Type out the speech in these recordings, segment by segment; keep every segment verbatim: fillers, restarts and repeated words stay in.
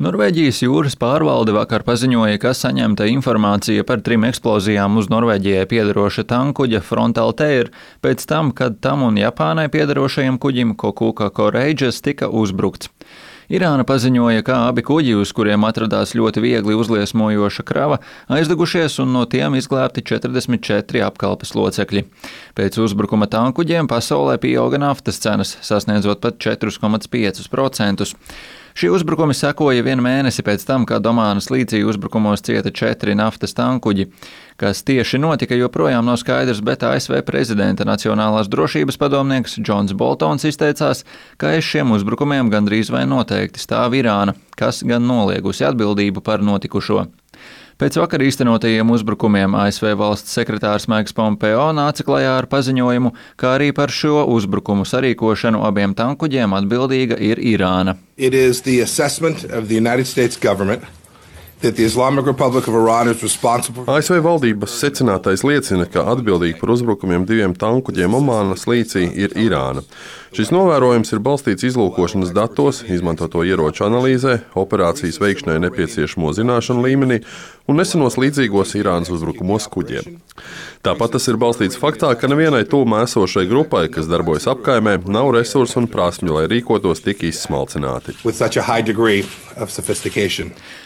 Norvēģijas jūras pārvalde vakar paziņoja, ka saņemta informācija par trim eksplozijām uz Norvēģijai piederoša tankkuģa Frontal Teir pēc tam, kad tam un Japānai piederošajam kuģim Kokuka Courageous tika uzbrukts. Irāna paziņoja, ka abi kuģi, uz kuriem atradās ļoti viegli uzliesmojoša krava, aizdegušies un no tiem izglābti četrdesmit četri apkalpes locekļi. Pēc uzbrukuma tankkuģiem pasaulē pieauga naftas cenas, sasniedzot pat četri komats pieci procenti. Šie uzbrukumi sekoja vienu mēnesi pēc tam, kad Omānas līcī uzbrukumos cieta četri naftas tankkuģi. Kas tieši notika, joprojām nav skaidrs, bet A S V prezidenta nacionālās drošības padomnieks Džons Boltons izteicās, ka aiz šiem uzbrukumiem gandrīz vai noteikti stāv Irāna, kas gan noliegusi atbildību par notikušo. Pēc vakar īstenotajiem uzbrukumiem A S V valsts sekretārs Maiks Pompeo nāca klajā ar paziņojumu, ka arī par šo uzbrukumu sarīkošanu abiem tankkuģiem atbildīga ir Irāna. It is the assessment of the United States government that the Islamic Republic of Iran is responsible. A S V valdības secinātais liecina, ka atbildīgi par uzbrukumiem diviem tankkuģiem Omānas līcī ir Irāna. Šis novērojums ir balstīts izlūkošanas datos, izmantoto ieroču analīzē, operācijas veikšanai nepieciešamo zināšanu līmenī un nesenos līdzīgos Irānas uzbrukumos kuģiem. Tāpat tas ir balstīts faktā, ka nevienai tuvumā esošai grupai, kas darbojas apkaimē, nav resursu un prasmju, lai rīkotos tik izsmalcināti.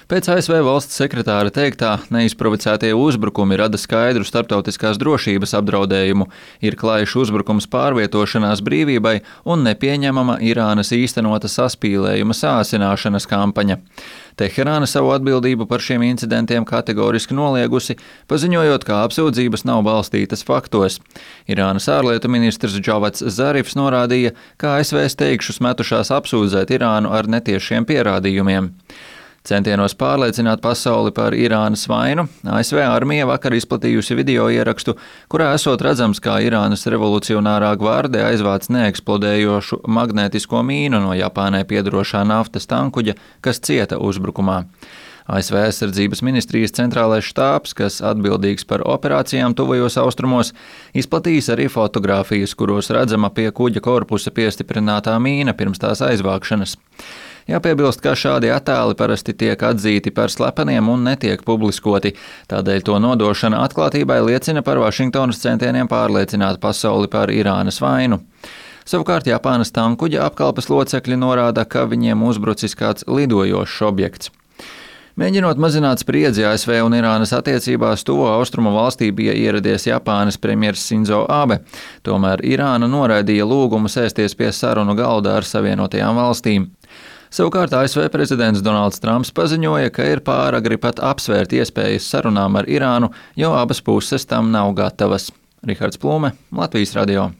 Pēc A S V valsts sekretāra teiktā, neizprovocētie uzbrukumi rada skaidru starptautiskās drošības apdraudējumu, ir klājš uzbrukums pārvietošanās brīvībai un nepieņemama Irānas īstenota saspīlējuma sāsināšanas kampaņa. Teherāna savu atbildību par šiem incidentiem kategoriski noliegusi, paziņojot, ka apsūdzības nav balstītas faktos. Irānas ārlietu ministrs Džavats Zarifs norādīja, ka A S V steigšus metušās apsūdzēt Irānu ar netiešiem pierādījumiem. Centienos pārliecināt pasauli par Irānas vainu, A S V armija vakar izplatījusi video ierakstu, kurā esot redzams, kā Irānas revolucionārā gvarde aizvāc neeksplodējošu magnētisko mīnu no Japānai piederošā naftas tankkuģa, kas cieta uzbrukumā. A S V aizsardzības ministrijas centrālais štābs, kas atbildīgs par operācijām tuvajos austrumos, izplatījis arī fotogrāfijas, kuros redzama pie kuģa korpusa piestiprinātā mīna pirms tās aizvākšanas. Jāpiebilst, ka šādi attēli parasti tiek atzīti par slepeniem un netiek publiskoti, tādēļ to nodošana atklātībai liecina par Vašingtonas centieniem pārliecināt pasauli par Irānas vainu. Savukārt Japānas tankkuģa apkalpes locekļi norāda, ka viņiem uzbrucis kāds lidojošs objekts. Mēģinot mazināt spriedzi A S V un Irānas attiecībās, tuvo austrumu valstī bija ieradies Japānas premjers Sinzo Abe. Tomēr Irāna noraidīja lūgumu sēsties pie sarunu galda ar Savienotajām valstīm. Savukārt A S V prezidents Donalds Trumps paziņoja, ka ir pāragri pat apsvērt iespējas sarunām ar Irānu, jo abas puses tam nav gatavas. Rihards Plūme, Latvijas radio.